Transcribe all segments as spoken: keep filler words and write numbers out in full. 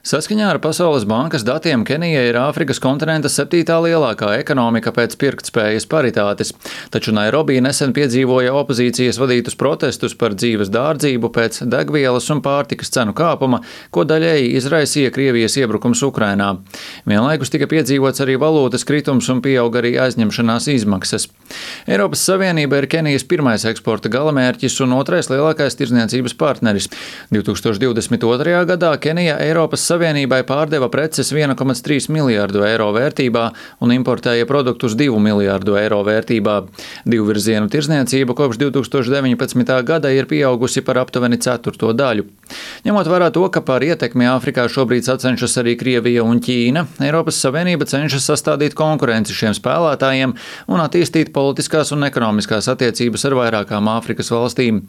Saskaņā ar Pasaules bankas datiem Kenija ir Āfrikas kontinenta septītā lielākā ekonomika pēc pirktspējas paritātes, taču Nairobi nesen piedzīvoja opozīcijas vadītus protestus par dzīves dārdzību pēc degvielas un pārtikas cenu kāpuma, ko daļēji izraisīja Krievijas iebrukums Ukrainā. Vienlaikus tika piedzīvots arī valūtas kritums un pieauga arī aizņemšanās izmaksas. Eiropas Savienība ir Kenijas pirmais eksporta galamērķis un otrais lielākais tirdzniecības partneris. divtūkstoš divdesmit otrajā gadā Kenija Eiropas Savienībai pārdeva preces viena komata trīs miljārdu eiro vērtībā un importēja produktus divu miljārdu eiro vērtībā. Divvirzienu tirdzniecība kopš divtūkstoš deviņpadsmitā gada ir pieaugusi par aptuveni ceturto daļu. Ņemot vērā to, ka par ietekmi Āfrikā šobrīd sacenšas arī Krievija un Ķīna, Eiropas Savienība cenšas sastādīt konkurenci šiem spēlētājiem un attīstīt politiskās un ekonomiskās attiecības ar vairākām Āfrikas valstīm.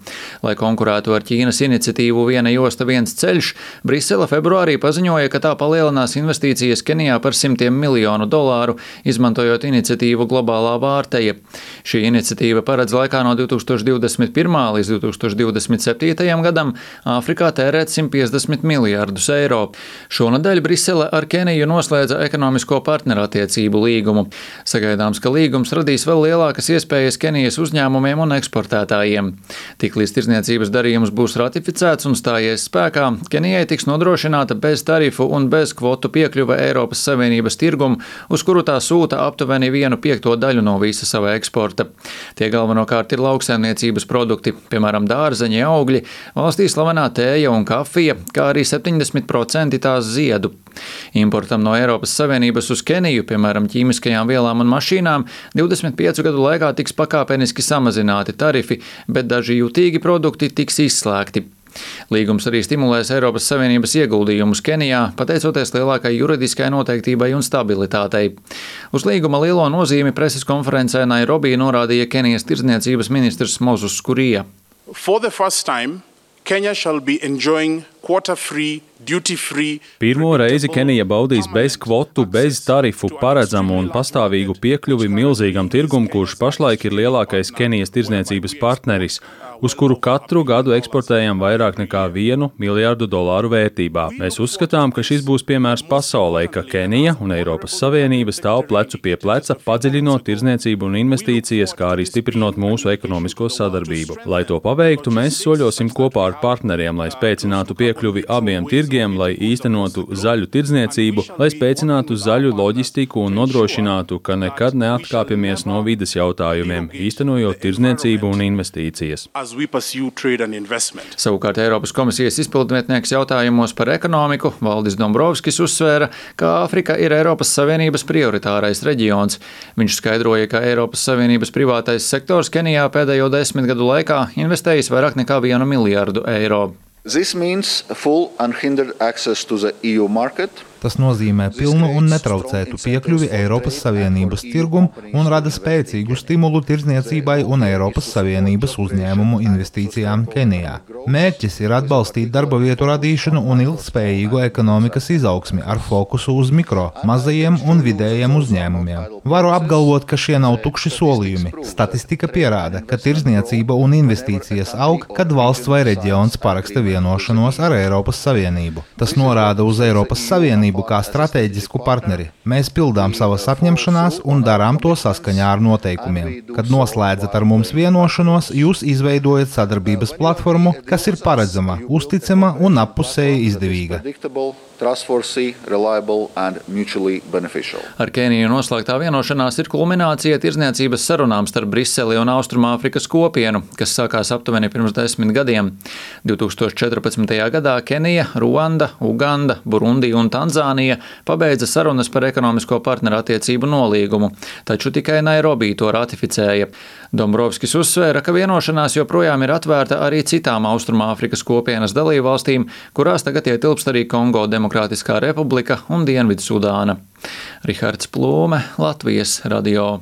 Lai konkurētu ar Ķīnas iniciatīvu Viena josta, viens ceļš, Brisele februārī paziņoja, ka tā palielinās investīcijas Kenijā par simtiem miljonu dolāru, izmantojot iniciatīvu Globālā vārteja. Šī iniciatīva paredz laikā no divtūkstoš divdesmit pirmā līdz divtūkstoš divdesmit septītajam gadam Āfrikā tērēt simt piecdesmit miljārdus eiro. Šonadēļ Brisele ar Keniju noslēdza ekonomisko partnerattiecību līgumu. Sagaidāms, ka līgums radīs vēl lielākas iespējas Kenijas uzņēmumiem un eksportētājiem. Tiklīdz tirdzniecības darījums būs ratificēts un stājies spēkā, Kenijai tiks nodrošināta bez tarifu un bez kvotu piekļuve Eiropas Savienības tirgumu, uz kuru tā sūta aptuveni vienu piekto daļu no visa sava eksporta. Tie galvenokārt ir lauksaimniecības produkti, piemēram, dārzeņi, augļi, valstī slavenā tēja un kafija, kā arī septiņdesmit procenti tās ziedu. Importam no Eiropas Savienības uz Keniju, piemēram, ķīmiskajām vielām un mašīnām, divdesmit piecu gadu laikā tiks pakāpeniski samazināti tarifi, bet daži jutīgi produkti tiks izslēgti. Līgums arī stimulēs Eiropas Savienības ieguldījumus Kenijā, pateicoties lielākai juridiskai noteiktībai un stabilitātei. Uz līguma lielo nozīmi preses konferencē Nairobi norādīja Kenijas tirdzniecības ministrs Moses Kuria. For the first time, Kenya shall be enjoying quota-free, duty-free. Pirmo reizi Kenija baudīs bez kvotu, bez tarifu paredzamu un pastāvīgu piekļuvi milzīgam tirgum, kurš pašlaik ir lielākais Kenijas tirdzniecības partneris, uz kuru katru gadu eksportējam vairāk nekā vienu miljārdu dolāru vērtībā. Mēs uzskatām, ka šis būs piemērs pasaulē, ka Kenija un Eiropas Savienība stāv plecu pie pleca, padziļinot tirdzniecību un investīcijas, kā arī stiprinot mūsu ekonomisko sadarbību. Lai to paveiktu, mēs soļosim kopā ar partneriem, lai spēcinātu piekļuvi abiem tirgiem, lai īstenotu zaļu tirdzniecību, lai spēcinātu zaļu loģistiku un nodrošinātu, ka nekad neatkāpjamies no vides jautājumiem, īstenojot tirdzniecību un investīcijas. Savukārt Eiropas komisijas izpildnieks jautājumos par ekonomiku Valdis Dombrovskis uzsvēra, ka Āfrika ir Eiropas Savienības prioritārais reģions. Viņš skaidroja, ka Eiropas Savienības privātais sektors Kenijā pēdējo desmit gadu laikā investējis vairāk nekā vienu miljārdu eiro. This means full unhindered access to the E U market. Tas nozīmē pilnu un netraucētu piekļuvi Eiropas Savienības tirgumu un rada spēcīgu stimulu tirdzniecībai un Eiropas Savienības uzņēmumu investīcijām Kenijā. Mērķis ir atbalstīt darba vietu radīšanu un ilgspējīgu ekonomikas izaugsmi ar fokusu uz mikro, mazajiem un vidējiem uzņēmumiem. Varu apgalvot, ka šie nav tukši solījumi. Statistika pierāda, ka tirdzniecība un investīcijas aug, kad valsts vai reģions paraksta vienošanos ar Eiropas Savienību. Tas norāda uz Eiropas Savienību kā stratēģisku partneri. Mēs pildām savas apņemšanās un darām to saskaņā ar noteikumiem. Kad noslēdzat ar mums vienošanos, jūs izveidojat sadarbības platformu, kas ir paredzama, uzticama un appusēji izdevīga. Ar Keniju noslēgtā vienošanās ir kulminācija tirdzniecības sarunām starp Briseli un Austrumāfrikas kopienu, kas sākās aptuveni pirms desmit gadiem. divtūkstoš četrpadsmitajā gadā Kenija, Ruanda, Uganda, Burundi un Tanzānija pabeidza sarunas par ekonomisko partnerattiecību nolīgumu, taču tikai Nairobi to ratificēja. Dombrovskis uzsvēra, ka vienošanās joprojām ir atvērta arī citām Austrumāfrikas kopienas dalībvalstīm, kurās tagad ietilpst arī Kongo Demokrātiskā republika un Dienvidsudāna. Rihards Plūme, Latvijas radio.